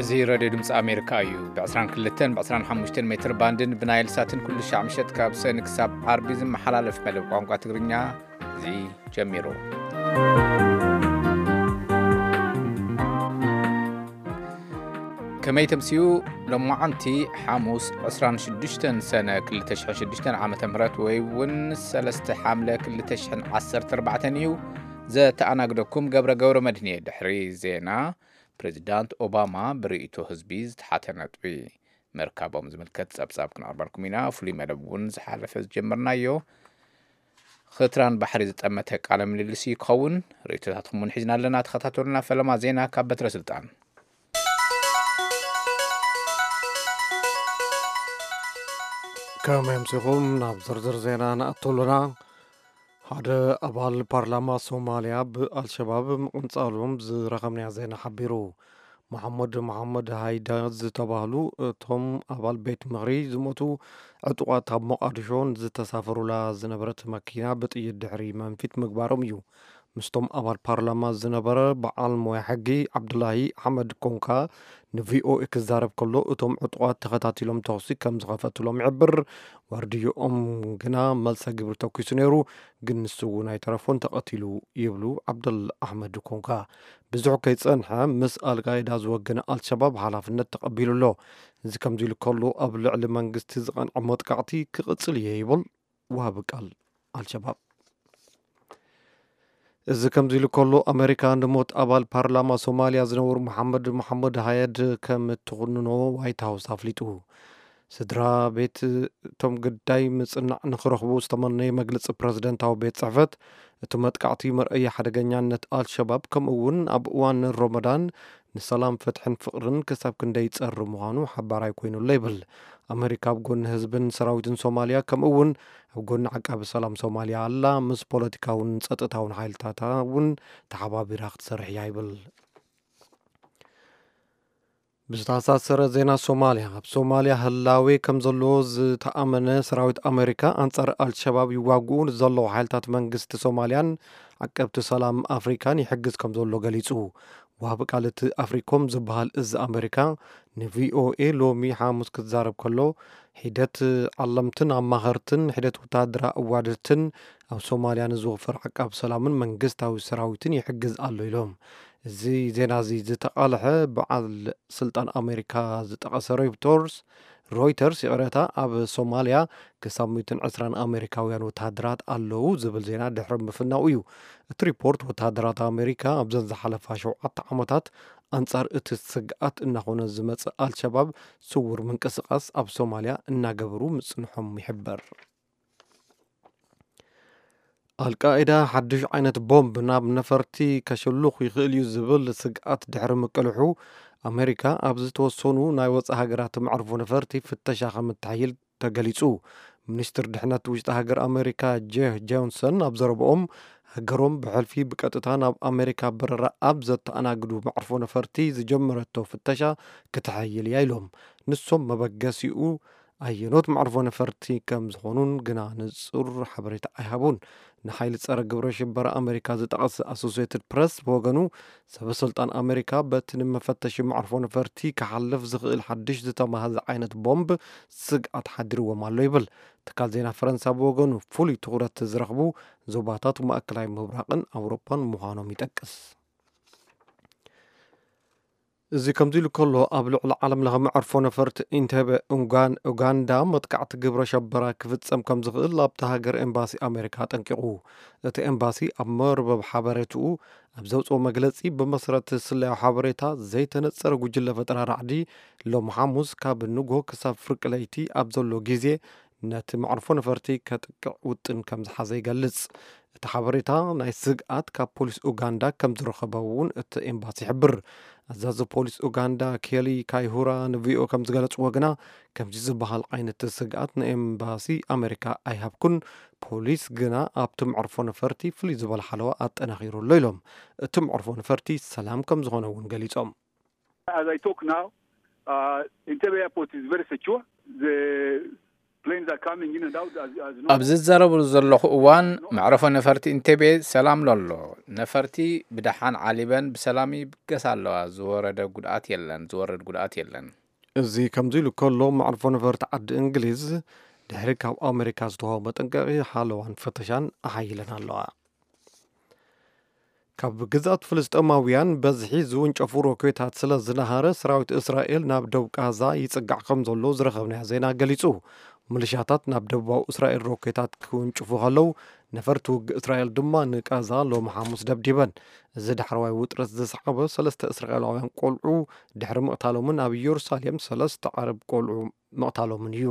እዚ ሬድዮ ድምፂ ኣሜሪካ እዩ። ብ22 ብ25 ሜትር ባንድን ብናይል ሳትን ኩሉ ሻዕ ምሸት ካብ ሰኒ ክሳብ ዓርቢ ዝመሓላለፍ መደብ ቋንቋ ትግርኛ እዚ ጀሚሩ። ከመይ ተምስዩ? ሎማዓንቲ ሓሙስ 26 ሰነ 2006 ዓመተ ምህረት ወይ እውን 3 ሓምለ 2014 እዩ። ዘተኣናግደኩም ገብረ ገብረ መድህን እየ። ድሕሪ ዜና፣ ፕሬዚዳንት ኦባማ ብርእይቶ ህዝቢ ዝተሓተ ነጥቢ ምርካቦም ዝምልከት ጸብጻብ ክነቕርበልኩም ኢና። ፍሉይ መደብ እውን ዝሓለፈ ዝጀመርናዮ፣ ኽትራን ባሕሪ ዝጠመተ ቃለ ምልልስ ይኸውን። ርእይቶታትኩም እውን ሒዝና ኣለና። ተኸታተሉና። ፈለማ ዜና ካብ በትረ ስልጣን። ከመይ ኣምሲኹም? ናብ ዝርዝር ዜና ንኣቱ ኣለና። ሓደ ኣባል ፓርላማ ሶማልያ ብኣልሸባብ ምቕንጻሎም ዝረኸብናዮ ዜና ሓቢሩ። መሓመድ መሓመድ ሃይዳ ዝተባህሉ እቶም ኣባል ቤት ምኽሪ ዝሞቱ ዕጡቓት ኣብ ሞቓዲሾ ንዝተሳፈሩላ ዝነበረት መኪና ብጥይት ድሕሪ መንፊት ምግባሮም እዩ። ምስቶም ኣባል ፓርላማ ዝነበረ በዓል ሞያ ሕጊ ዓብዱላሂ ኣሕመድ ኮንካ ንቪኦኤ ክዛረብ ከሎ፣ እቶም ዕጡቓት ተኸታቲሎም ተኹሲ ከም ዝኸፈትሎም ይሕብር። ዋርድዮኦም ግና መልሰ ግብሪ ተኩሱ ነይሩ፣ ግን ንሱ እውን ኣይተረፎን፣ ተቐቲሉ ይብሉ ዓብደል ኣሕመድ ኮንካ። ብዙሕ ከይጸንሐ ምስ ኣልቃይዳ ዝወገነ ኣልሸባብ ሓላፍነት ተቐቢሉ ኣሎ። እዚ ከምዚ ኢሉ ከሎ፣ ኣብ ልዕሊ መንግስቲ ዝቐንዐ መጥቃዕቲ ክቕጽል እየ ይብል ወሃቢ ቃል ኣልሸባብ። እዚ ከምዚ ኢሉ ከሎ፣ ኣሜሪካ ንሞት ኣባል ፓርላማ ሶማልያ ዝነበሩ መሓመድ መሓመድ ሃየድ ከም እትኹንኖ ዋይት ሃውስ ኣፍሊጡ። ስድራ ቤት እቶም ግዳይ ምጽናዕ ንኽረኽቡ ዝተመነየ መግለጺ ፕረዚደንታዊ ቤት ጽሕፈት፣ እቲ መጥቃዕቲ መርኣያ ሓደገኛነት ኣልሸባብ፣ ከምኡ እውን ኣብ እዋን ሮመዳን ንሰላም፣ ፍትሕን ፍቕርን ክሳብ ክንደይ ይጸሪ ምዃኑ ሓባራይ ኮይኑሎ ይብል። ኣሜሪካ ኣብ ጎኒ ህዝብን ሰራዊትን ሶማልያ፣ ከምኡ እውን ኣብ ጎኒ ዓቃቢ ሰላም ሶማልያ ኣላ። ምስ ፖለቲካውን ጸጥታውን ሓይልታታ እውን ተሓባቢራ ክትሰርሕ እያ ይብል። ብዝተኣሳሰረ ዜና ሶማልያ፣ ኣብ ሶማልያ ህላዌ ከም ዘሎ ዝተኣመነ ሰራዊት ኣሜሪካ ኣንጻር ኣልሸባብ ይዋግኡ ንዘለዉ ሓይልታት መንግስቲ ሶማልያን ዓቀብቲ ሰላም ኣፍሪካን ይሕግዝ ከም ዘሎ ገሊጹ። ወሃቢ ቃል እቲ ኣፍሪኮም ዝበሃል እዚ ኣሜሪካ ንቪኦኤ ሎሚ ሓሙስ ክዛረብ ከሎ፣ ሒደት ዓለምትን ኣማኸርትን ሒደት ወታደራ ኣዋደድትን ኣብ ሶማልያ ንዝወፈር ዓቃብ ሰላምን መንግስታዊ ሰራዊትን ይሕግዝ ኣሎ ኢሎም። እዚ ዜና እዚ ዝተቓልሐ በዓል ስልጣን ኣሜሪካ ዝጠቐሰ ሮይተርስ፣ ሮይተርስ ይቕረታ፣ ኣብ ሶማልያ ክሳብ 120 ኣሜሪካውያን ወታደራት ኣለዉ ዝብል ዜና ድሕሪ ምፍናው እዩ። እቲ ሪፖርት፣ ወታደራት ኣሜሪካ ኣብዘን ዝሓለፋ ሸውዓተ ዓመታት ኣንጻር እቲ ስግኣት እናኾነ ዝመጽእ ኣልሸባብ ስውር ምንቅስቓስ ኣብ ሶማልያ እናገበሩ ምጽንሖም ይሕበር። ኣልቃይዳ ሓድሽ ዓይነት ቦምብ ናብ ነፈርቲ ከሽሉኽ ይኽእል እዩ ዝብል ስግኣት ድሕሪ ምቅልሑ፣ ኣሜሪካ ኣብ ዝተወሰኑ ናይ ወጻኢ ሃገራት መዕርፎ ነፈርቲ ፍተሻ ከም እተሕይል ተገሊጹ። ሚኒስትር ድሕነት ውሽጢ ሃገር ኣሜሪካ ጄፍ ጆንሰን ኣብ ዘረብኦም፣ ሃገሮም ብሕልፊ ብቀጥታ ናብ ኣሜሪካ በረራ ኣብ ዘተኣናግዱ መዕርፎ ነፈርቲ ዝጀመረቶ ፍተሻ ክተሐይል እያ ኢሎም። ንሶም መበገሲኡ ኣየኖት መዕርፎ ነፈርቲ ከም ዝኾኑን ግና ንጹር ሓበሬታ ኣይሃቡን። ንሓይሊ ጸረ ግብረ ሽበራ ኣሜሪካ ዝጠቐስ ኣሶሲየትድ ፕረስ ብወገኑ፣ ሰበ ስልጣን ኣሜሪካ በቲ ንመፈተሺ መዕርፎ ነፈርቲ ክሓልፍ ዝኽእል ሓድሽ ዝተማህዘ ዓይነት ቦምብ ስግኣት ሓዲርዎም ኣሎ ይብል። ትካል ዜና ፈረንሳ ብወገኑ፣ ፍሉይ ትኹረት ዝረኽቡ ዞባታት ማእከላይ ምብራቕን ኣውሮፓን ምዃኖም ይጠቅስ። እዚ ከምዚ ኢሉ ከሎ፣ ኣብ ልዕሊ ዓለም ለኸ መዕርፎ ነፈርቲ ኢንተበ ኡንጋን-፣ ኡጋንዳ መጥቃዕቲ ግብረ ሸበራ ክፍጸም ከም ዝኽእል ኣብታ ሃገር ኤምባሲ ኣሜሪካ ኣጠንቂቑ። እቲ ኤምባሲ ኣብ መርበብ ሓበሬትኡ ኣብ ዘውፅኦ መግለጺ፣ ብመሰረት ስለያዊ ሓበሬታ፣ ዘይተነጸረ ጉጅለ ፈጠራ ራዕዲ ሎም ሓሙስ ካብ ንጎ ክሳብ ፍርቂ ለይቲ ኣብ ዘሎ ግዜ ነቲ መዕርፎ ነፈርቲ ከጥቅዕ ውጥን ከም ዝሓዘ ይገልጽ። እቲ ሓበሬታ ናይ ስግኣት ካብ ፖሊስ ኡጋንዳ ከም ዝረኸበ እውን እቲ ኤምባሲ ይሕብር። ኣዛዚ ፖሊስ ኡጋንዳ ኬሊ ካይሁራ ንቪኦ ከም ዝገለጽዎ ግና፣ ከምዚ ዝበሃል ዓይነት ስግኣት ንኤምባሲ ኣሜሪካ ኣይሃብኩን። ፖሊስ ግና ኣብቲ መዕርፎ ነፈርቲ ፍልይ ዝበለ ሓለዋ ኣጠናኺሩ ኣሎ ኢሎም። እቲ መዕርፎ ነፈርቲ ሰላም ከም ዝኾነ እውን ገሊጾም። As I talk now, uh, Entebbe Airport is very secure. The Planes are coming in and out as, as you know. ኣብ ዝዛረብሉ ዘለኹ እዋን፣ መዕረፎ ነፈርቲ ኢንቴቤ ሰላም ኣሎ። ነፈርቲ ብደሓን ዓሊበን ብሰላም ይብገሳ ኣለዋ። ዝወረደ ጉድኣት የለን፣ ዝወርድ ጉድኣት የለን። እዚ ከምዚ ኢሉ ከሎ፣ መዕርፎ ነፈርቲ ዓዲ እንግሊዝ ድሕሪ ካብ ኣሜሪካ ዝተዋህቦ መጠንቀቒ ሓለዋን ፈተሻን ኣሓይለን ኣለዋ። ካብ ግዝኣት ፍልስጤማውያን በዝሒ ዝውንጨፉ ሮኬታት ስለ ዝነሃረ፣ ሰራዊት እስራኤል ናብ ደቡብ ጋዛ ይጽጋዕ ከም ዘሎ ዝረኸብናዮ ዜና ገሊጹ። ሚሊሻታት ናብ ደቡባዊ እስራኤል ሮኬታት ክውንጭፉ ከለዉ፣ ነፈርቲ ውግእ እስራኤል ድማ ንጋዛ ሎሚ ሓሙስ ደብዲበን። እዚ ዳሕረዋይ ውጥረት ዘስዓበ፣ ሰለስተ እስራኤላውያን ቆልዑ ድሕሪ ምቕታሎምን ኣብ ኢየሩሳሌም ሰለስተ ዓረብ ቆልዑ ምቕታሎምን እዩ።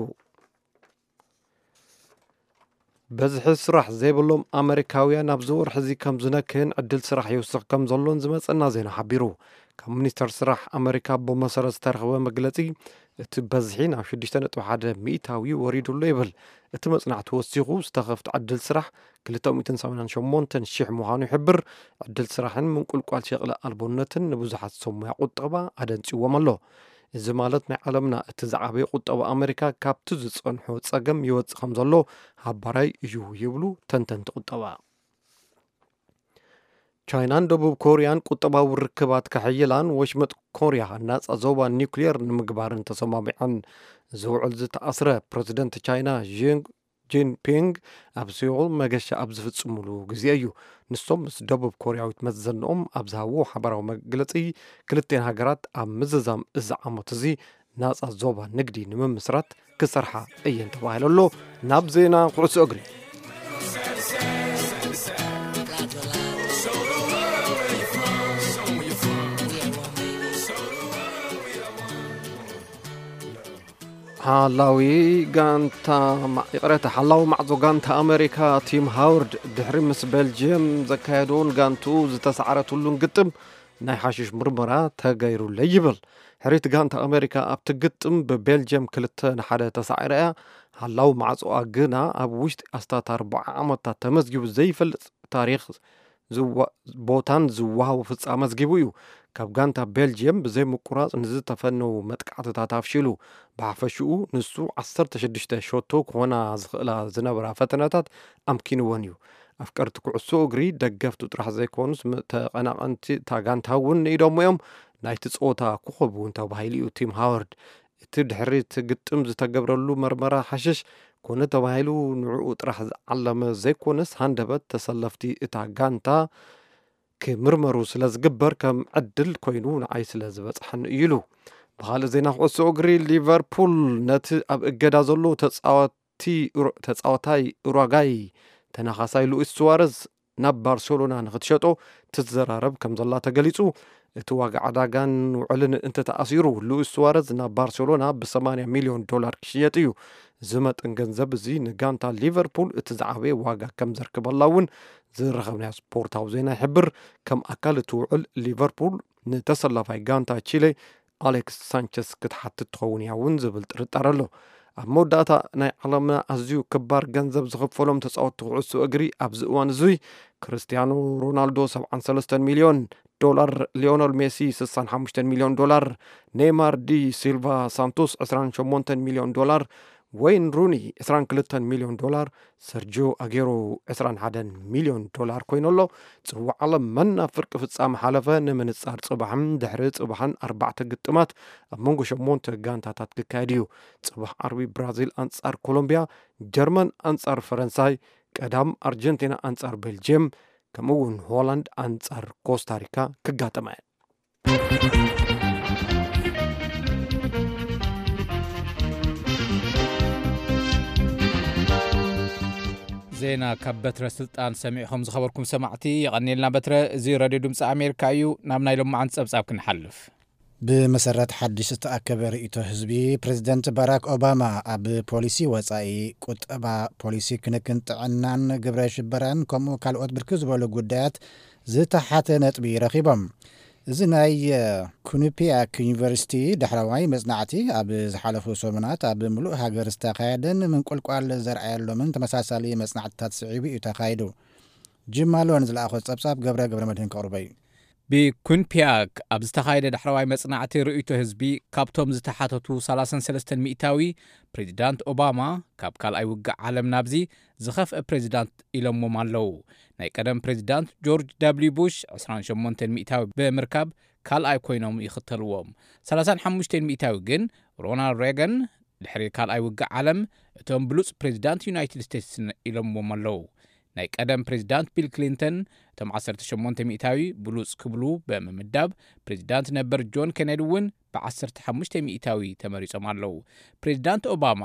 በዝሒ ስራሕ ዘይብሎም ኣመሪካውያን ኣብዚ ወርሒ እዚ ከም ዝነክእን ዕድል ስራሕ ይውስኽ ከም ዘሎን ዝመጸና ዜና ሓቢሩ። ካብ ሚኒስተር ስራሕ ኣመሪካ ብመሰረት ዝተረኽበ መግለጺ፣ እቲ በዝሒ ናብ ሽዱሽተ ነጥቢ ሓደ ሚእታዊ ወሪዱ ኣሎ ይብል። እቲ መጽናዕቲ ወሲኹ፣ ዝተኸፍተ ዕድል ስራሕ ክልተ ሚእትን ሰማንያን ሸሞንተን ሽሕ ምዃኑ ይሕብር። ዕድል ስራሕን ምንቁልቋል ሸቕለ ኣልቦነትን ንብዙሓት ሰብ ሞያ ቁጠባ ኣደንጽዎም ኣሎ። እዚ ማለት ናይ ዓለምና እቲ ዝዓበየ ቁጠባ ኣመሪካ ካብቲ ዝጸንሖ ጸገም ይወጽእ ከም ዘሎ ሃባራይ እዩ ይብሉ ተንተንቲ ቁጠባ። ቻይናን ደቡብ ኮርያን ቁጠባዊ ርክባት ከሕይላን ወሽመጥ ኮርያ ናጻ ዞባ ኒውክሊየር ንምግባርን ተሰማሚዐን። ዝውዕል ዝተኣስረ ፕረዚደንት ቻይና ዢ ጂንፒንግ ኣብ ሲኦል መገሻ ኣብ ዝፍጽሙሉ ግዜ እዩ። ንሶም ምስ ደቡብ ኮርያዊት መዘንኦም ኣብ ዝሃብዎ ሓባራዊ መግለጺ፣ ክልቴን ሃገራት ኣብ ምዝዛም እዚ ዓመት እዚ ናጻ ዞባ ንግዲ ንምምስራት ክሰርሓ እየን ተባሂሉ ኣሎ። ናብ ዜና ኩዕሶ እግሪ። ሓላዊ ጋንታ ማ-፣ ይቕሬታ፣ ሓላዊ ማዕጾ ጋንታ ኣመሪካ ቲም ሃወርድ ድሕሪ ምስ ቤልጅየም ዘካየዶን ጋንቱ ዝተሳዕረትሉን ግጥም ናይ ሓሽሽ ምርመራ ተገይሩለይ ይብል። ሕሪት ጋንታ ኣመሪካ ኣብቲ ግጥም ብቤልጅየም ክልተ ንሓደ ተሳዒራ እያ። ሓላዊ ማዕጾኣ ግና ኣብ ውሽጢ ኣስታት ኣርባዓ ዓመታት ተመዝጊቡ ዘይፈልጥ ታሪኽ ዝዋ-፣ ቦታን ዝወሃቦ ፍጻመ ኣመዝጊቡ እዩ። ካብ ጋንታ ቤልጅየም ብዘይ ምቁራጽ ንዝተፈነዉ መጥቃዕትታት ኣፍሺሉ። ብሓፈሽኡ ንሱ ዓሰርተ ሽዱሽተ ሸቶ ክኾና ዝኽእላ ዝነበራ ፈተነታት ኣምኪንወን እዩ። ኣፍቀርቲ ኩዕሶ እግሪ፣ ደገፍቱ ጥራሕ ዘይኮኑስ፣ ም-፣ ተቐናቐንቲ እታ ጋንታ እውን ንኢዶሞ እዮም። ናይቲ ጸወታ ኮኸብ እውን ተባሂሉ እዩ ቲም ሃወርድ። እቲ ድሕሪ እቲ ግጥም ዝተገብረሉ መርመራ ሓሽሽ ኮነ ተባሂሉ ንዕኡ ጥራሕ ዝዓለመ ዘይኮነስ፣ ሃንደበት ተሰለፍቲ እታ ጋንታ ክምርመሩ ስለ ዝግበር ከም ዕድል ኮይኑ ንዓይ ስለ ዝበጽሐኒ እዩ ኢሉ። ብኻልእ ዜና ኩዕሶ እግሪ፣ ሊቨርፑል ነቲ ኣብ እገዳ ዘሎ ተጻዋቲ ኡሩ-፣ ተጻዋታይ ኡራጋይ ተናኻሳይ ሉኢስ ሱዋረዝ ናብ ባርሴሎና ንኽትሸጦ ትዘራረብ ከም ዘላ ተገሊጹ። እቲ ዋጋ ዕዳጋን ውዕልን እንተተኣሲሩ፣ ሉኢስ ሱዋረዝ ናብ ባርሴሎና ብሰማንያ ሚልዮን ዶላር ክሽየጥ እዩ። እዚ መጠን ገንዘብ እዚ ንጋንታ ሊቨርፑል እቲ ዝዓበየ ዋጋ ከም ዘርክበላ እውን ዝረኸብናዮ ስፖርታዊ ዜና ይሕብር። ከም ኣካል እቲ ውዕል፣ ሊቨርፑል ንተሰላፋይ ጋንታ ቺለ ኣሌክስ ሳንቸስ ክትሓትት ትኸውን እያ እውን ዝብል ጥርጣረ ኣሎ። ኣብ መወዳእታ፣ ናይ ዓለምና ኣዝዩ ክባር ገንዘብ ዝኽፈሎም ተጻወትቲ ኩዕሶ እግሪ ኣብዚ እዋን እዙይ፣ ክርስቲያኖ ሮናልዶ ሰብዓን ሰለስተን ሚልዮን ዶላር፣ ሊዮነል ሜሲ ስሳን ሓሙሽተን ሚልዮን ዶላር፣ ኔይማር ዲ ሲልቫ ሳንቶስ ዕስራን ሸሞንተን ሚልዮን ዶላር፣ ወይን ሩኒ ዕስራን ክልተን ሚልዮን ዶላር፣ ሰርጂዮ ኣጌሮ ዕስራን ሓደን ሚልዮን ዶላር ኮይኑ ኣሎ። ጽዋዕ ዓለም መን ናብ ፍርቂ ፍጻመ ሓለፈ ንምንጻር ጽባሕን ድሕሪ ጽባሕን ኣርባዕተ ግጥማት ኣብ መንጎ ሸሞንተ ጋንታታት ክካየድ እዩ። ጽባሕ ዓርቢ ብራዚል ኣንጻር ኮሎምብያ፣ ጀርመን ኣንጻር ፈረንሳይ፣ ቀዳም ኣርጀንቲና ኣንጻር ቤልጅየም፣ ከምኡ እውን ሆላንድ ኣንጻር ኮስታሪካ ክጋጠማ እየን። ዜና ካብ በትረ ስልጣን ሰሚዕኹም ዝኸበርኩም ሰማዕቲ፣ የቐንየልና በትረ። እዚ ሬድዮ ድምፂ ኣሜሪካ እዩ። ናብ ናይ ሎማዓንቲ ጸብጻብ ክንሓልፍ። ብመሰረት ሓድሽ ዝተኣከበ ርእይቶ ህዝቢ፣ ፕሬዚደንት ባራክ ኦባማ ኣብ ፖሊሲ ወጻኢ፣ ቁጠባ፣ ፖሊሲ ክንክን ጥዕናን ግብረ ሽበራን ከምኡ ካልኦት ብርክት ዝበሉ ጉዳያት ዝተሓተ ነጥቢ ረኺቦም። እዚ ናይ ኩኒፒያክ ዩኒቨርሲቲ ዳሕረዋይ መጽናዕቲ ኣብ ዝሓለፉ ሰሙናት ኣብ ምሉእ ሃገር ዝተኻየደን ምንቁልቋል ዘርኣየሎምን ተመሳሳሊ መጽናዕትታት ስዒቡ እዩ ተኻይዱ። ጂም ማሎን ዝለኣኾ ጸብጻብ ገብረ ገብረ መድህን ከቕርቦ እዩ። ብኩንፒያክ ኣብ ዝተኻየደ ዳሕረዋይ መጽናዕቲ ርእይቶ ህዝቢ፣ ካብቶም ዝተሓተቱ ሰላሳን ሰለስተን ሚእታዊ፣ ፕሬዚዳንት ኦባማ ካብ ካልኣይ ውግእ ዓለም ናብዚ ዝኸፍአ ፕሬዚዳንት ኢሎምዎም ኣለዉ። ናይ ቀደም ፕሬዚዳንት ጆርጅ ደብልዩ ቡሽ ዕስራን ሸሞንተን ሚእታዊ ብምርካብ ካልኣይ ኮይኖም ይኽተልዎም። ሰላሳን ሓሙሽተን ሚእታዊ ግን ሮናልድ ሬገን ድሕሪ ካልኣይ ውግእ ዓለም እቶም ብሉጽ ፕሬዚዳንት ዩናይትድ ስቴትስ ኢሎምዎም ኣለዉ። ናይ ቀደም ፕሬዚዳንት ቢል ክሊንተን እቶም ዓሰርተ ሸሞንተ ሚእታዊ ብሉጽ ክብሉ ብምምዳብ፣ ፕሬዚዳንት ነበር ጆን ኬነዲ እውን ብዓሰርተ ሓሙሽተ ሚእታዊ ተመሪጾም ኣለዉ። ፕሬዚዳንት ኦባማ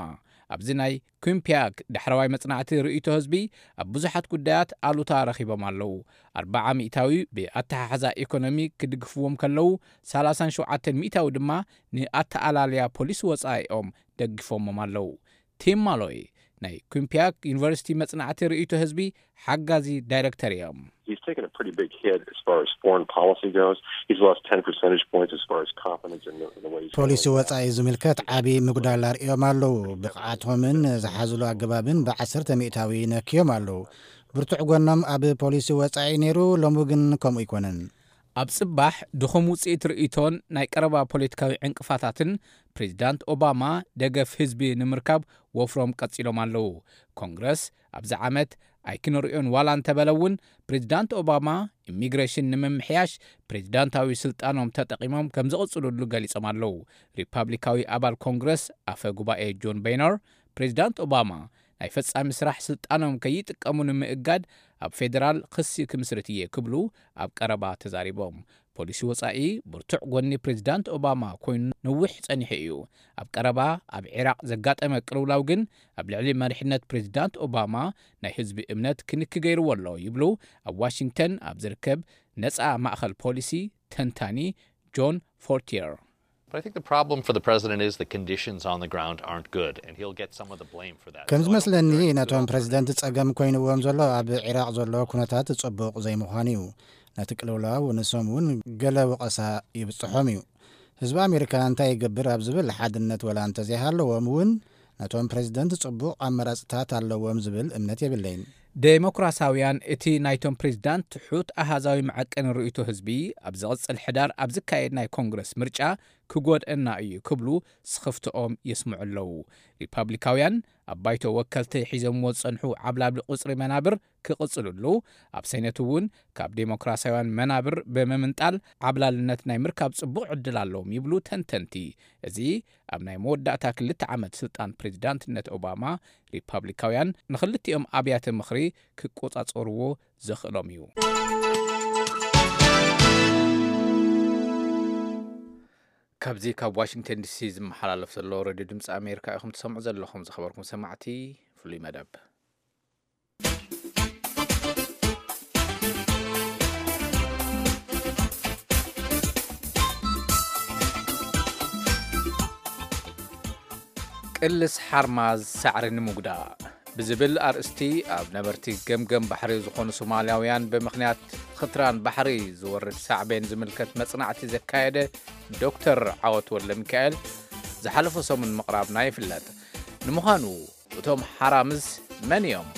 ኣብዚ ናይ ኩምፒያክ ዳሕረዋይ መጽናዕቲ ርእይቶ ህዝቢ ኣብ ብዙሓት ጉዳያት ኣሉታ ረኺቦም ኣለዉ። ኣርባዓ ሚእታዊ ብኣተሓሕዛ ኢኮኖሚ ክድግፍዎም ከለዉ፣ ሰላሳን ሸውዓተን ሚእታዊ ድማ ንኣተኣላልያ ፖሊሲ ወጻኢኦም ደግፎሞም ኣለዉ። ቲም ማሎይ ናይ ኩምፒያክ ዩኒቨርሲቲ መጽናዕቲ ርእይቶ ህዝቢ ሓጋዚ ዳይረክተር እዮም። He's taken a pretty big hit as far as foreign policy goes. He's lost ten percentage points as far as confidence in the, in the way he's ፖሊሲ handling that. ወጻኢ ዝምልከት ዓቢ ምጉዳል ኣርእዮም ኣለዉ። ብቕዓቶምን ዝሓዝሉ ኣገባብን ብዓሰርተ ሚእታዊ ነክዮም ኣለዉ። ብርቱዕ ጎኖም ኣብ ፖሊሲ ወጻኢ ነይሩ፣ ሎሚ ግን ከምኡ ኣይኮነን። ኣብ ጽባሕ ድኹም ውጽኢት ርእይቶን ናይ ቀረባ ፖለቲካዊ ዕንቅፋታትን ፕሬዚዳንት ኦባማ ደገፍ ህዝቢ ንምርካብ ወፍሮም ቀጺሎም ኣለዉ። ኮንግረስ ኣብዚ ዓመት ኣይክንርእዮን ዋላ እንተበለ እውን፣ ፕሬዚዳንት ኦባማ ኢሚግሬሽን ንምምሕያሽ ፕሬዚዳንታዊ ስልጣኖም ተጠቒሞም ከም ዝቕጽሉሉ ገሊጾም ኣለዉ። ሪፓብሊካዊ ኣባል ኮንግረስ ኣፈ ጉባኤ ጆን ቤይነር፣ ፕሬዚዳንት ኦባማ ናይ ፈጻሚ ስራሕ ስልጣኖም ከይጥቀሙ ንምእጋድ ኣብ ፌደራል ክሲ ክምስርት እየ ክብሉ ኣብ ቀረባ ተዛሪቦም። ፖሊሲ ወጻኢ ብርቱዕ ጎኒ ፕሬዚዳንት ኦባማ ኮይኑ ነዊሕ ጸኒሑ እዩ። ኣብ ቀረባ ኣብ ዒራቕ ዘጋጠመ ቅልውላው ግን ኣብ ልዕሊ መሪሕነት ፕሬዚዳንት ኦባማ ናይ ህዝቢ እምነት ክንኪ ገይርዎ ኣሎ ይብሉ ኣብ ዋሽንግተን ኣብ ዝርከብ ነጻ ማእኸል ፖሊሲ ተንታኒ ጆን ፎርቲየር። But I think the problem for the president is the conditions on the ground aren't good, and he'll get some of the blame for that. ከም So I don't think ዝመስለኒ there are any ነቶም good ፕሬዚደንት ጸገም ኮይንዎም ዘሎ ኣብ ዒራቕ ዘሎ ኩነታት ጽቡቕ ዘይምዃኑ እዩ። ነቲ ቅልውላው ንሶም እውን ገለ ወቐሳ ይብጽሖም እዩ። ህዝቢ ኣሜሪካ እንታይ ይገብር ኣብ ዝብል ሓድነት ወላ እንተዘይሃለዎም እውን ነቶም ፕሬዚደንት ጽቡቕ ኣመራጽታት ኣለዎም ዝብል እምነት የብለይን። ዴሞክራሳውያን እቲ ናይቶም ፕሬዚዳንት ትሑት ኣሃዛዊ መዐቀኒ ርእይቶ ህዝቢ ኣብ ዝቕጽል ሕዳር ኣብ ዝካየድ ናይ ኮንግረስ ምርጫ ክጎድአና እዩ ክብሉ ስኽፍትኦም የስምዑ ኣለዉ። ሪፓብሊካውያን ኣብ ባይቶ ወከልቲ ሒዞምዎ ዝጸንሑ ዓብላሊ ቁጽሪ መናብር ክቕጽልሉ፣ ኣብ ሰይነት እውን ካብ ዴሞክራሳውያን መናብር ብምምንጣል ዓብላልነት ናይ ምርካብ ጽቡቕ ዕድል ኣለዎም ይብሉ ተንተንቲ። እዚ ኣብ ናይ መወዳእታ ክልተ ዓመት ስልጣን ፕሬዚዳንትነት ኦባማ ሪፓብሊካውያን ንኽልቲኦም ኣብያተ ምኽሪ ክቆጻጸርዎ ዘኽእሎም እዩ። ካብዚ ካብ ዋሽንግተን ዲሲ ዝመሓላለፍ ዘሎ ሬድዮ ድምፂ ኣሜሪካ ኢኹም ትሰምዑ ዘለኹም። ዝኸበርኩም ሰማዕቲ፣ ፍሉይ መደብ። ቅልስ ሓርማዝ ሳዕሪ ንምጉዳእ ብዝብል ኣርእስቲ፣ ኣብ ነበርቲ ገምገም ባሕሪ ዝኾኑ ሶማልያውያን ብምኽንያት ኽትራን ባሕሪ ዝወርድ ሳዕቤን ዝምልከት መጽናዕቲ ዘካየደ ዶክተር ዓወት ወልደሚካኤል ዝሓለፈ ሰሙን ምቕራብና ይፍለጥ። ንምዃኑ እቶም ሓራምዝ መን እዮም?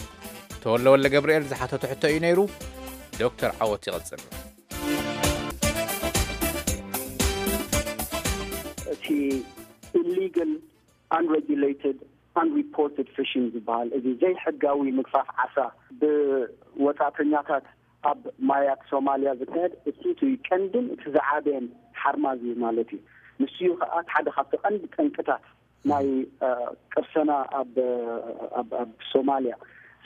ተወልደ ወልደገብርኤል ዝሓተቶ ሕቶ እዩ ነይሩ። ዶክተር ዓወት ይቕጽል። እቲ illegal, unregulated, unreported fishing ዝበሃል፣ እዚ ዘይሕጋዊ ምግፋፍ ዓሳ ብወጻእተኛታት ኣብ ማያት ሶማልያ ዝካየድ፣ እሱ እቲ ቀንድን እቲ ዝዓበየን ሓርማዝ እዩ ማለት እዩ። ንሱ እዩ ከዓ ሓደ ካብቲ ቀንዲ ጠንቅታት ናይ ቅርሰና ኣብ ሶማልያ።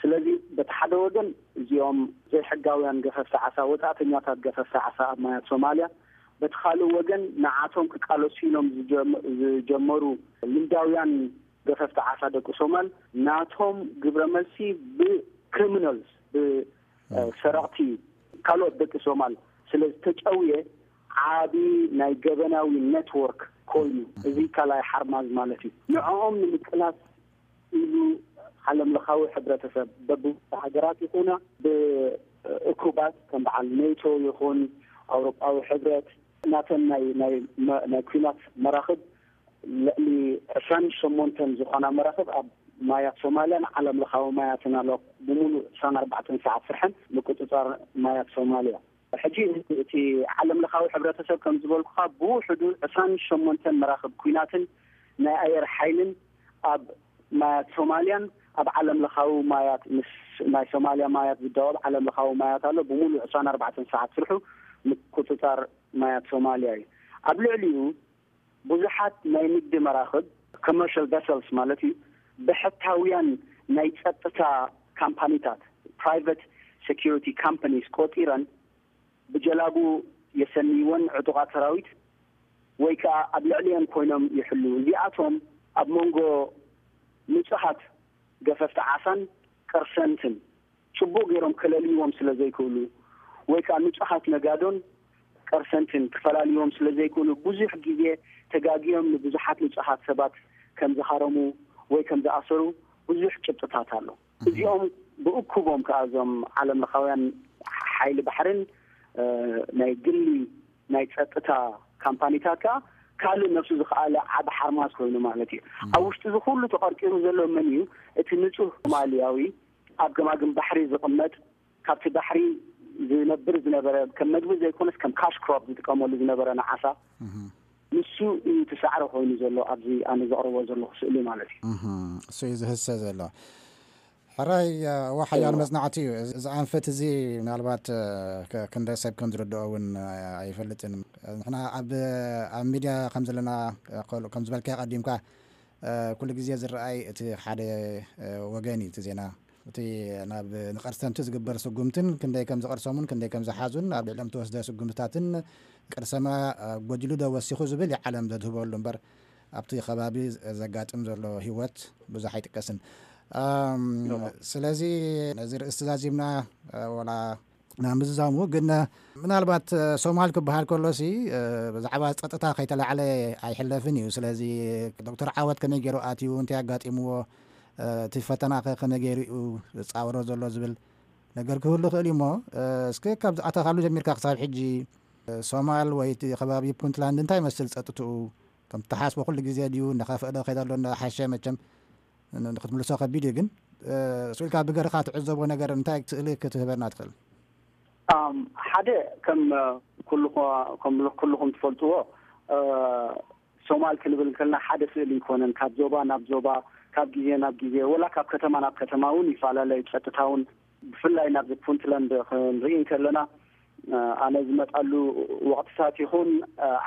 ስለዚ በቲ ሓደ ወገን እዚኦም ዘይሕጋውያን ገፈፍቲ ዓሳ፣ ወፃእተኛታት ገፈፍቲ ዓሳ ኣብ ማያት ሶማልያ፣ በቲ ካልእ ወገን ንዓቶም ክቃለሱ ኢሎም ዝጀመሩ ልምዳውያን ገፈፍቲ ዓሳ ደቂ ሶማል፣ ናቶም ግብረ መልሲ ብክሪሚናልስ፣ ብሰረቕቲ ካልኦት ደቂ ሶማል ስለ ዝተጨውየ፣ ዓቢ ናይ ገበናዊ ኔትወርክ ኮይኑ፣ እዚ ካልኣይ ሓርማዝ ማለት እዩ። ንዕኦም ንምቅላስ ኢሉ ዓለም ለኻዊ ሕብረተሰብ፣ በብሃገራት ይኹና ብእኩባት ከም በዓል ኔቶ ይኹን ኣውሮጳዊ ሕብረት፣ ናተን ናይ ናይ ናይ ኩናት መራኽብ ልዕሊ ዕስራን ሸሞንተን ዝኾና መራኽብ ኣብ ማያት ሶማልያን ዓለም ለኻዊ ማያትን ኣሎ። ብምሉእ ዕስራን ኣርባዕተን ሰዓት ስርሐን ምቁጽጻር ማያት ሶማልያ። ሕጂ እቲ ዓለም ለኻዊ ሕብረተሰብ ከም ዝበልኩኻ ብውሕዱ ዕስራን ሸሞንተን መራኽብ ኩናትን ናይ ኣየር ሓይልን ኣብ ማያት ሶማልያን ኣብ ዓለም ለኻዊ ማያት ምስ ናይ ሶማልያ ማያት ዝዳወብ ዓለም ለኻዊ ማያት ኣሎ። ብሙሉእ ዕስራን ኣርባዕተን ሰዓት ስርሑ ምቁጽጻር ማያት ሶማልያ እዩ። ኣብ ልዕሊኡ ብዙሓት ናይ ንግዲ መራኽብ፣ ኮመርሻል ቨሰልስ ማለት እዩ፣ ብሕታውያን ናይ ጸጥታ ካምፓኒታት፣ ፕራይቨት ሴኩሪቲ ካምፓኒስ ቆጺረን ብጀላቡ የሰንይወን ዕጡቓት ሰራዊት ወይ ከኣ ኣብ ልዕሊአን ኮይኖም ይሕሉ። እዚኣቶም ኣብ መንጎ ንጹሃት ገፈፍቲ ዓሳን ቀርሰንትን ጽቡቕ ገይሮም ከለልይዎም ስለ ዘይክእሉ ወይ ከኣ ንጹሃት ነጋዶን ቀርሰንትን ክፈላልይዎም ስለ ዘይክእሉ ብዙሕ ግዜ ተጋግዮም ንብዙሓት ንጹሃት ሰባት ከም ዝሃረሙ ወይ ከም ዝኣሰሩ ብዙሕ ጭብጥታት ኣሎ። እዚኦም ብእኩቦም ከኣ እዞም ዓለም ለኻውያን ሓይሊ ባሕርን ናይ ግሊ ናይ ጸጥታ ካምፓኒታት ከኣ ካልእ ነፍሱ ዝኸኣለ ዓቢ ሓርማዝ ኮይኑ ማለት እዩ። ኣብ ውሽጢ እዚ ኩሉ ተቐርቂሩ ዘሎ መን እዩ? እቲ ንጹህ ሶማልያዊ ኣብ ገማግም ባሕሪ ዝቕመጥ፣ ካብቲ ባሕሪ ዝነብር ዝነበረ፣ ከም መግቢ ዘይኮነስ ከም ካሽ ክሮፕ ዝጥቀመሉ ዝነበረ ንዓሳ፣ ንሱ እዩ እቲ ሳዕሪ ኮይኑ ዘሎ ኣብዚ ኣነ ዘቕርቦ ዘለኹ ስእሊ ማለት እዩ። እሱ እዩ ዝህሰ ዘሎ። ሕራይ፣ እዋ ሓያል መጽናዕቲ እዩ። እዚ ኣንፈት እዚ ምናልባት ክንደ ሰብ ከም ዝርድኦ እውን ኣይፈልጥን። ንሕና ኣብ ኣብ ሚድያ ከም ዘለና፣ ከም ዝበልካ ቀዲምካ፣ ኩሉ ግዜ ዝረኣይ እቲ ሓደ ወገን እዩ እቲ ዜና። እቲ ናብ ንቀርሰምቲ ዝግበር ስጉምትን ክንደይ ከም ዝቐርሰሙን ክንደይ ከም ዝሓዙን ኣብ ልዕሊኦም ተወስደ ስጉምትታትን ቅርሰማ ጎዲሉ ዶ ወሲኹ ዝብል እዩ ዓለም ዘድህበሉ እምበር ኣብቲ ከባቢ ዘጋጥም ዘሎ ህይወት ብዙሕ ኣይጥቀስን። ስለዚ ነዚ ርእስቲ ዛዚምና ወላ ናብ ምዝዛሙ ግን ምናልባት ሶማል ክበሃል ከሎሲ ብዛዕባ ጸጥታ ከይተላዕለ ኣይሕለፍን እዩ። ስለዚ ዶክተር ዓወት ከመይ ገይሩ ኣትዩ፣ እንታይ ኣጋጢምዎ፣ እቲ ፈተና ከ ከመይ ገይሩ እዩ ዝጻወሮ ዘሎ ዝብል ነገር ክህሉ ይኽእል እዩ። እሞ እስከ ካብ ዝኣተኻሉ ጀሚርካ ክሳብ ሕጂ ሶማል ወይ እቲ ከባቢ ፑንትላንድ እንታይ ይመስል ጸጥትኡ? ከም ትሓስቦ ኩሉ ግዜ ድዩ እናኸፍአ ዶ ከይዱ ኣሎ? እናሓሸ መቸም ን-፣ ንክትምልሶ ከቢድ እዩ፣ ግን ስኢልካ ብገርኻ ትዕዘቦ ነገር እንታይ ስእሊ ክትህበና ትኽእል? ሓደ ከም ኩልኹ-፣ ከም ኩልኹም ትፈልጥዎ ሶማል ክንብል ከልና ሓደ ስእሊ ኣይኮነን። ካብ ዞባ ናብ ዞባ፣ ካብ ግዜ ናብ ግዜ፣ ወላ ካብ ከተማ ናብ ከተማ እውን ይፈላለ እዩ። ጸጥታ እውን ብፍላይ ናብዚ ፑንትላንድ ክንርኢ ከለና ኣነ ዝመጻሉ ወቕትታት ይኹን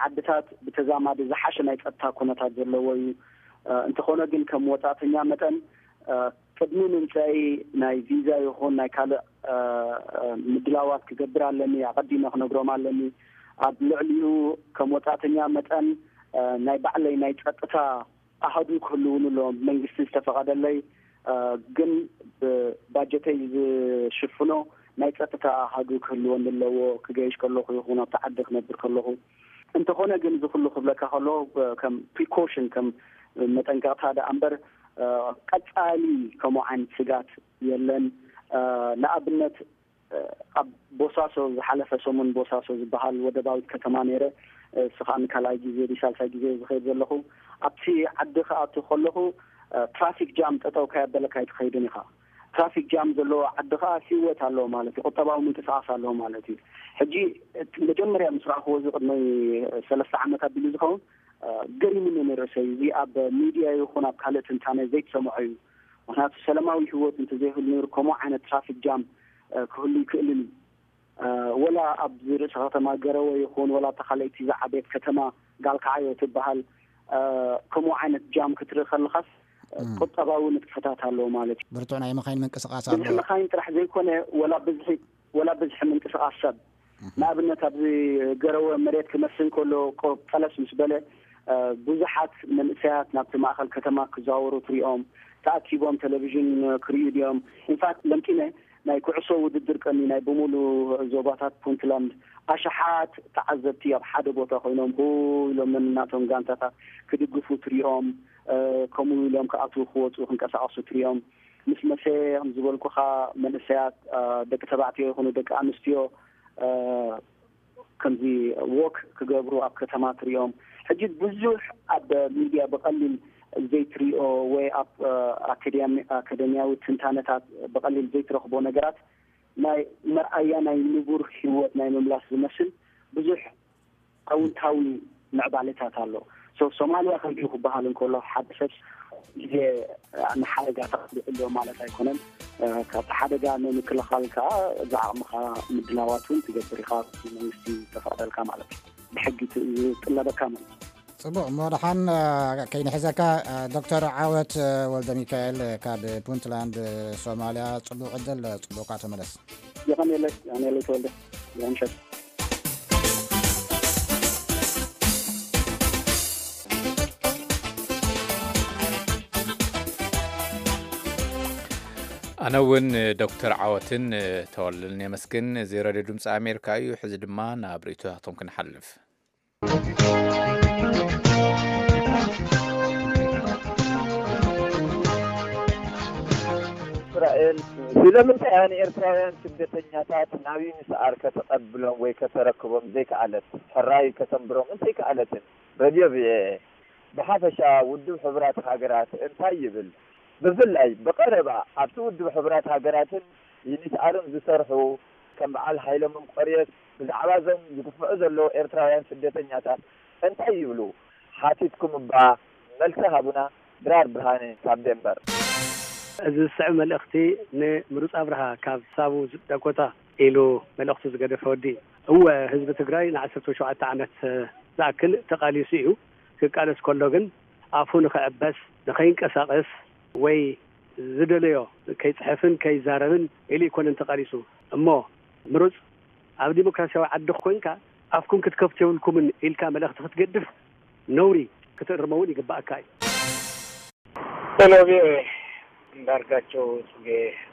ዓድታት ብተዛማዲ ዝሓሸ ናይ ጸጥታ ኩነታት ዘለዎ እዩ። እንተኾነ ግን ከም ወጻእተኛ መጠን ቅድሚ ምምጻይ ናይ ቪዛ ይኹን ናይ ካልእ ምድላዋት ክገብር ኣለኒ፣ ኣቐዲመ ክነግሮም ኣለኒ። ኣብ ልዕሊኡ ከም ወጻእተኛ መጠን ናይ ባዕለይ ናይ ጸጥታ ኣሃዱ ክህልውኒ ኣለዎም፣ ብመንግስቲ ዝተፈቐደለይ ግን ብባጀተይ ዝሽፍኖ ናይ ጸጥታ ኣሃዱ ክህልወኒ ኣለዎ፣ ክገይሽ ከለኹ ይኹን ኣብቲ ዓዲ ክነብር ከለኹ። እንተኾነ ግን እዚ ኩሉ ክብለካ ከለኹ ከም ፕሪኮሽን፣ ከም መጠንቀቕታ ደኣ እምበር ቀጻሊ ከምኡ ዓይነት ስጋት የለን። ንኣብነት ኣብ ቦሳሶ፣ ዝሓለፈ ሰሙን ቦሳሶ ዝበሃል ወደባዊት ከተማ ነይረ። እስኻ ንካልኣይ ግዜ ድዩ ሳልሳይ ግዜ ዝኸይድ ዘለኹ። ኣብቲ ዓዲ ክኣቱ ከለኹ ትራፊክ ጃም ጠጠው ካየበለካ ኣይትኸይድን ኢኻ። ትራፊክ ጃም ዘለዎ ዓዲ ከዓ ህይወት ኣለዎ ማለት እዩ፣ ቁጠባዊ ምንቅስቃስ ኣለዎ ማለት እዩ። ሕጂ እቲ መጀመርያ ምስ ረኣኽዎ እዚ ቅድሚ ሰለስተ ዓመት ኣቢሉ ዝኸውን ገሪሙኒ ንርእሰይ። እዚ ኣብ ሚድያ ይኹን ኣብ ካልእ ትንታነ ዘይትሰምዖ እዩ። ምክንያቱ ሰላማዊ ህይወት እንተዘይህሉ ነይሩ ከምኡ ዓይነት ትራፊክ ጃም ክህሉ ይክእልን እዩ። ወላ ኣብዚ ርእሰ ከተማ ገረወ ይኹን ወላ እታ ካልኣይቲ ዝዓበየት ከተማ ጋልካዓዮ ትበሃል ከምኡ ዓይነት ጃም ክትርኢ ከለኻስ ቁጠባዊ ንጥፈታት ኣለዎ ማለት እዩ። ብርቱዕ ናይ መኻይን ምንቅስቃስ ኣሎ። ብዝሒ መኻይን ጥራሕ ዘይኮነ ወላ ብዝሒ ወላ ብዝሒ ምንቅስቃስ ሰብ። ንኣብነት ኣብዚ ገረወ መሬት ክመስ እንከሎ ቆ-፣ ጠለስ ምስ በለ ብዙሓት መንእሰያት ናብቲ ማእኸል ከተማ ክዘዋወሩ ትሪኦም። ተኣኪቦም ቴሌቪዥን ክርእዩ ድዮም? ኢንፋክት ለምኪነ ናይ ኩዕሶ ውድድር ቀኒ ናይ ብምሉ ዞባታት ፑንትላንድ ኣሽሓት ተዓዘብቲ ኣብ ሓደ ቦታ ኮይኖም ሁ ኢሎም ነናቶም ጋንታታት ክድግፉ ትሪኦም። ከምኡ ኢሎም ክኣትዉ ክወፁ ክንቀሳቀሱ ትሪኦም። ምስ መሰ ከም ዝበልኩኻ መንእሰያት ደቂ ተባዕትዮ ይኹኑ ደቂ ኣንስትዮ ከምዚ ዎክ ክገብሩ ኣብ ከተማ ትሪኦም። ሕጂ ብዙሕ ኣብ ሚድያ ብቐሊል ዘይትሪኦ ወይ ኣብ ኣካዳሚ-፣ ኣካዳሚያዊ ትንታነታት ብቐሊል ዘይትረኽቦ ነገራት ናይ መርኣያ ናይ ንቡር ህይወት ናይ ምምላስ ዝመስል ብዙሕ ኣውንታዊ ምዕባለታት ኣሎ። ሶማልያ ከምዚ ክበሃል እንከሎ ሓደ ሰብ ግዜ ንሓደጋ ተቐሊዑ ኣሎ ማለት ኣይኮነን። ካብቲ ሓደጋ ንምክልኻል ከዓ ዝዓቕምኻ ምድላዋት እውን ትገብር ኢኻ፣ መንግስቲ ተፈቕደልካ ማለት እዩ። ብሕጊ ዝጥለበካ ማለት እዩ። ፅቡቕ እሞ ደሓን ከይንሕዘካ፣ ዶክተር ዓወት ወልደ ሚካኤል ካብ ፑንትላንድ ሶማልያ፣ ፅቡቕ ዕድል፣ ፅቡቕካ ተመለስ። የቐንየለይ። የቐንየለይ ተወልደ። የምሸት። ኣነ እውን ዶክተር ዓወትን ተወልደን የመስግን። እዚ ሬድዮ ድምፂ ኣሜሪካ እዩ። ሕዚ ድማ ናብ ርእይቶታቶም ክንሓልፍ። እስራኤል ስለምንታይ እያ ንኤርትራውያን ስደተኛታት ናብ ዩኒስኣር ከተቐብሎም ወይ ከተረክቦም ዘይከኣለት? ሕራይ ከተንብሮም እንተይከኣለትን፣ ረድዮ ቪኦኤ ብሓፈሻ ውድብ ሕቡራት ሃገራት እንታይ ይብል? ብፍላይ ብቐረባ ኣብቲ ውድብ ሕቡራት ሃገራትን ዩኒስኣርን ዝሰርሑ ከም በዓል ሃይለ መንቆርዮስ ብዛዕባ እዞም ዝግፍዑ ዘለዉ ኤርትራውያን ስደተኛታት እንታይ ይብሉ ሓቲትኩም እባ መልሲ ሃቡና። ድራር ብርሃነ ካብ ደንበር። እዚ ዝስዕብ መልእኽቲ ንምሩፅ ኣብርሃ ካብ ሳቡ ዳኮታ ኢሉ መልእኽቱ ዝገደፈ ወዲ። እወ ህዝቢ ትግራይ ንዓሰርተ ሸውዓተ ዓመት ዝኣክል ተቓሊሱ እዩ። ክቃለስ ከሎ ግን ኣፉ ንኽዕበስ፣ ንኸይንቀሳቐስ ወይ ዝደለዮ ከይፅሕፍን ከይዛረብን ኢሉ ኣይኮነን ተቓሊሱ። እሞ ምሩፅ ኣብ ዲሞክራሲያዊ ዓዲ ኮይንካ ኣፍኩም ክትከፍቱ የብልኩምን ኢልካ መልእኽቲ ክትገድፍ ነውሪ ክትእርሞ እውን ይግባኣካ እዩ። ሰላም ቪኦኤ። እንዳርጋቸው ጽጌ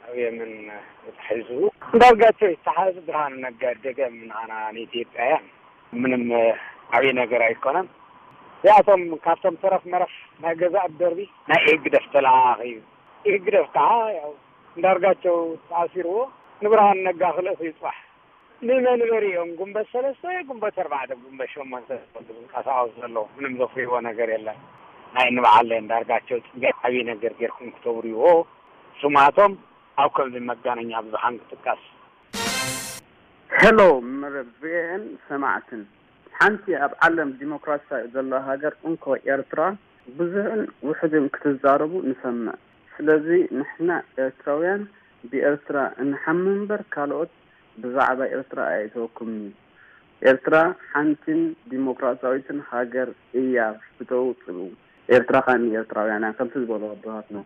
ኣብ የመን ተታሒዙ። እንዳርጋቸው ይተሓዝ፣ ብርሃኑ ነጋ ደገም ንዓና ንኢትዮጵያውያን ምንም ዓብዪ ነገር ኣይኮነን። እዚኣቶም ካብቶም ተረፍ መረፍ ናይ ገዛእ ደርቢ ናይ ኢህግደፍ ተለኣኣኺ እዩ። ኢህግደፍ ከዓ ያው እንዳርጋቸው ተኣሲርዎ ንብርሃኑ ነጋ ክልእኹ እዩ ጽባሕ። ንመንበሪ እዮም። ጉንበት ሰለስተ፣ ጉንበት ኣርባዕተ፣ ጉንበት ሸሞንተ ዝንቀሳቐሱ ዘለዉ። ምንም ዘፍርይዎ ነገር የለን። ናይ ንበዓል እንዳርጋቸው ጽጌ ዓብዪ ነገር ጌርኩም ክተውርይዎ፣ ስማቶም ኣብ ከምዚ መጋነኛ ብዙሓን ክጥቀስ። ሄሎ መረብ ቪኦኤን ሰማዕትን፣ ሓንቲ ኣብ ዓለም ዲሞክራሲያ ዘለዋ ሃገር እንኮ ኤርትራ ብዙሕን ውሑድን ክትዛረቡ ንሰምዕ። ስለዚ ንሕና ኤርትራውያን ብኤርትራ እንሓሚ እምበር ካልኦት ብዛዕባ ኤርትራ ኣየእተወኩምን እዩ። ኤርትራ ሓንቲን ዲሞክራሲያዊትን ሃገር እያ። ፍተው ጽልኡ። ኤርትራ ከኣ ንኤርትራውያን እያ ከምቲ ዝበሉ ኣቦታትና።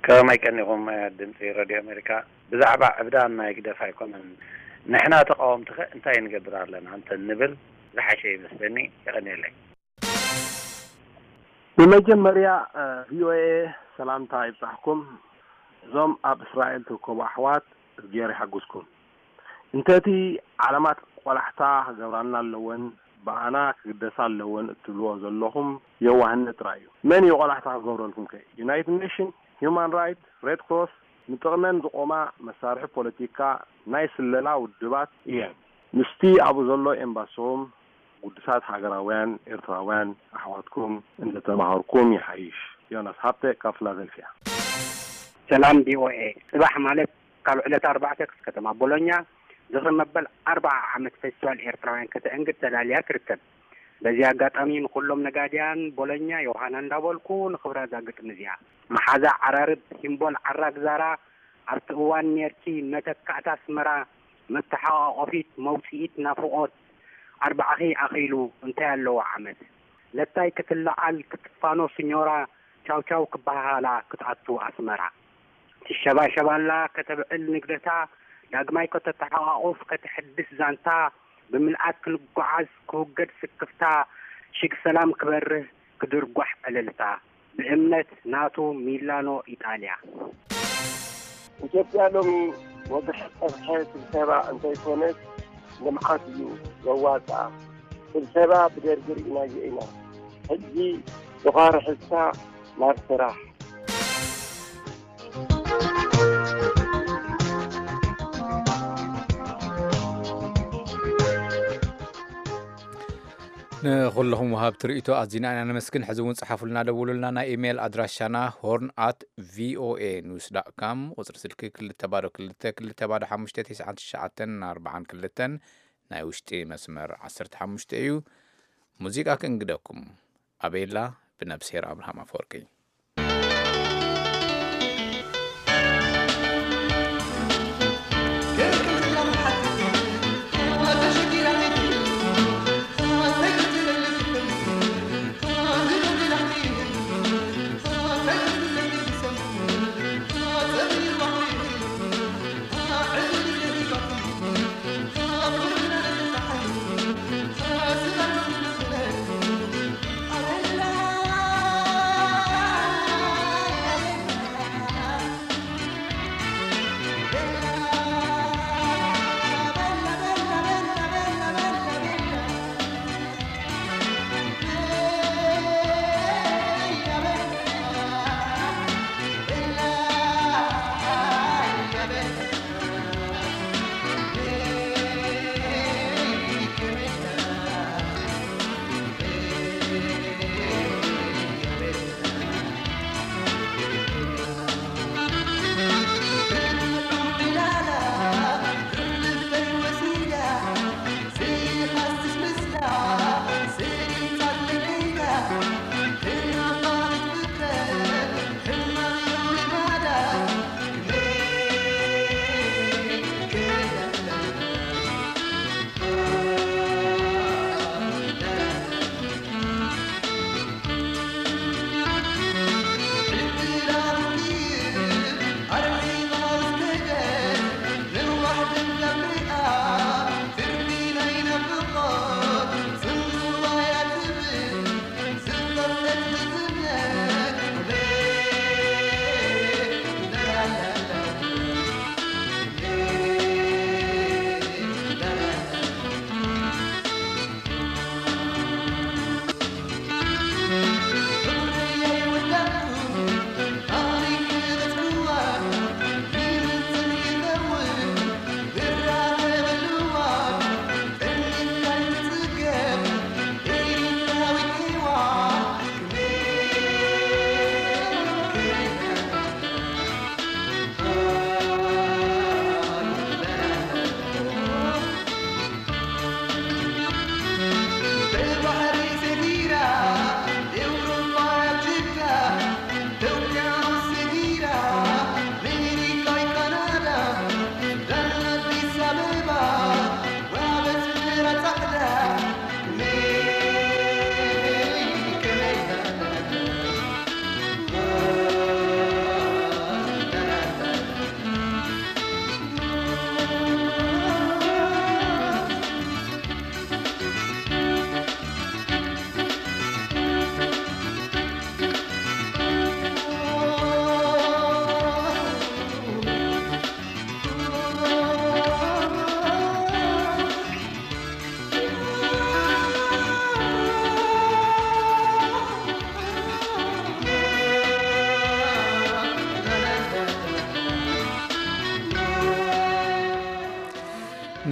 ከመይ ቀኒኹም ድምጺ ረድዮ ኣሜሪካ? ብዛዕባ ዕብዳን ናይ ግደፍ ኣይኮነን። ንሕና ተቃወምቲ ከ እንታይ ንገብር ኣለና እንተ ንብል ዝሓሸ ይመስለኒ። የቐንየለይ። ብመጀመርያ ቪኦኤ ሰላምታ ይብጻሕኩም። እዞም ኣብ እስራኤል ትርከቡ ኣሕዋት እግዜር ይሓግዝኩም። እንተቲ ዓለማት ቆላሕታ ክገብራልና ኣለወን፣ ብኣና ክግደሳ ኣለወን እትብልዎ ዘለኹም የዋህነት ጥራይ እዩ። መን እዩ ቆላሕታ ክገብረልኩም ከ? ዩናይትድ ኔሽን፣ ሂውማን ራይት፣ ሬድ ክሮስ ንጥቕመን ዝቆማ መሳርሒ ፖለቲካ ናይ ስለላ ውድባት እየን። ምስቲ ኣብኡ ዘሎ ኤምባሶም ግዱሳት ሃገራውያን ኤርትራውያን ኣሕዋትኩም እንተተማሃርኩም ይሓይሽ። ዮናስ ሃብተ ካብ ፊላደልፊያ። ሰላም ቪኦኤ። ጽባሕ ማለት ካብ ዕለት ኣርባዕተ ከተማ ቦሎኛ ዝኽሪ መበል ኣርብዓ ዓመት ፌስቲቫል ኤርትራውያን ከተእንግድ ተዳልያ ትርከብ። በዚ ኣጋጣሚ ንኹሎም ነጋድያን ቦሎኛ ዮሃና እንዳበልኩ ንኽብራ እዛ ግጥሚ እዚኣ። መሓዛ ዓራርብ ሂምቦል ዓራግ ዛራ ኣብቲ እዋን ኔርኪ መተካእታ ኣስመራ መተሓቋቆፊት መውጽኢት ናፍቖት ኣርባዕኺ ኣኺሉ እንታይ ኣለዎ ዓመት ለታይ ክትለዓል ክትፋኖ ስኞራ ቻው ቻው ክበሃሃላ ክትኣቱ ኣስመራ ትሸባሸባላ ከተብዕል ንግደታ ዳግማይ ከተተሓቋቑፍ ከተሐድስ ዛንታ ብምልኣት ክንጓዓዝ ክውገድ ስክፍታ ሽግ ሰላም ክበርህ ክድርጓሕ ዕልልታ ብእምነት ናቱ ሚላኖ ኢጣልያ። ኢትዮጵያ ሎሚ ወግሐ ጸብሐ ስብሰባ እንተይኮነስ ልምዓት እዩ ዘዋጽኣ። ስብሰባ ብደርጊ ርኢናዮ ኢና። ሕጂ ዶኻሪ ሕዝካ ናብ ስራሕ። ንኹልኹም ወሃብቲ ርእይቶ ኣዚና ኢና ነመስግን። ሕዚ እውን ጽሓፉልና፣ ደውሉልና። ናይ ኢሜይል ኣድራሻና ሆርን ኣት ቪኦኤ ኒውስ ዳት ካም፣ ቁጽሪ ስልኪ ክልተ ባዶ ክልተ ክልተ ባዶ ሓሙሽተ ተስዓን ትሽዓተን ኣርባዓን ክልተን፣ ናይ ውሽጢ መስመር ዓሰርተ ሓሙሽተ እዩ። ሙዚቃ ክንግደኩም። ኣቤላ ብነብስሄር ኣብርሃም ኣፈወርቂ።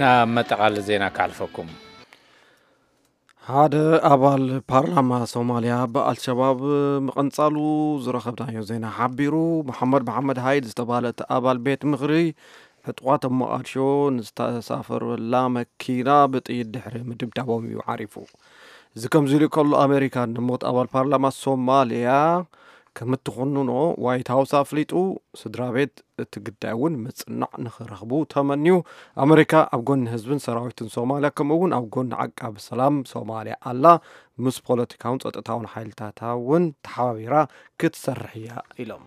ናብ መጠቓል ዜና ካልፈኩም። ሓደ ኣባል ፓርላማ ሶማልያ ብኣልሸባብ ምቕንጻሉ ዝረኸብናዮ ዜና ሓቢሩ። መሓመድ መሓመድ ሃይድ ዝተባህለ እቲ ኣባል ቤት ምኽሪ ዕጡቓት ኣብ መቓድሾ ንዝተሳፈረላ መኪና ብጥይት ድሕሪ ምድብዳቦም እዩ ዓሪፉ። እዚ ከምዚ ኢሉ ከሎ፣ ኣሜሪካ ንሞት ኣባል ፓርላማ ሶማልያ ከም እትኹንኖ ዋይት ሃውስ ኣፍሊጡ። ስድራ ቤት እቲ ግዳይ እውን ምጽናዕ ንኽረኽቡ ተመንዩ። ኣመሪካ ኣብ ጎኒ ህዝብን ሰራዊትን ሶማልያ፣ ከምኡ እውን ኣብ ጎኒ ዓቃቢ ሰላም ሶማልያ ኣላ። ምስ ፖለቲካውን ጸጥታውን ሓይልታታ እውን ተሓባቢራ ክትሰርሕ እያ ኢሎም።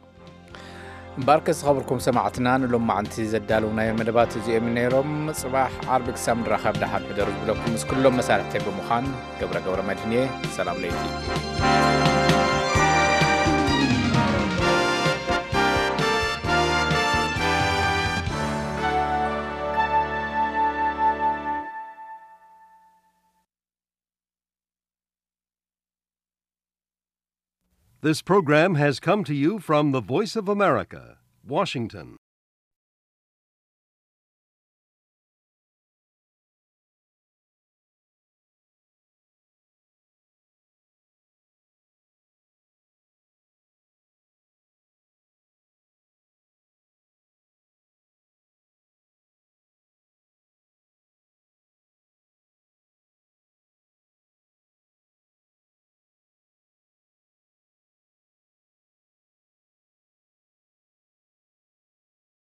እምበኣርከ ዝኸበርኩም ሰማዕትና፣ ንሎማዓንቲ ዘዳለውናዮ መደባት እዚኦም ነይሮም። ጽባሕ ዓርቢ ክሳብ ንራኸብ ደሓን ሕደሩ ዝብለኩም ምስ ኩሎም መሳርሕተይ ብምዃን ገብረ ገብረ መድህን እየ። ሰላም ለይቲ። This program has come to you from the Voice of America, Washington.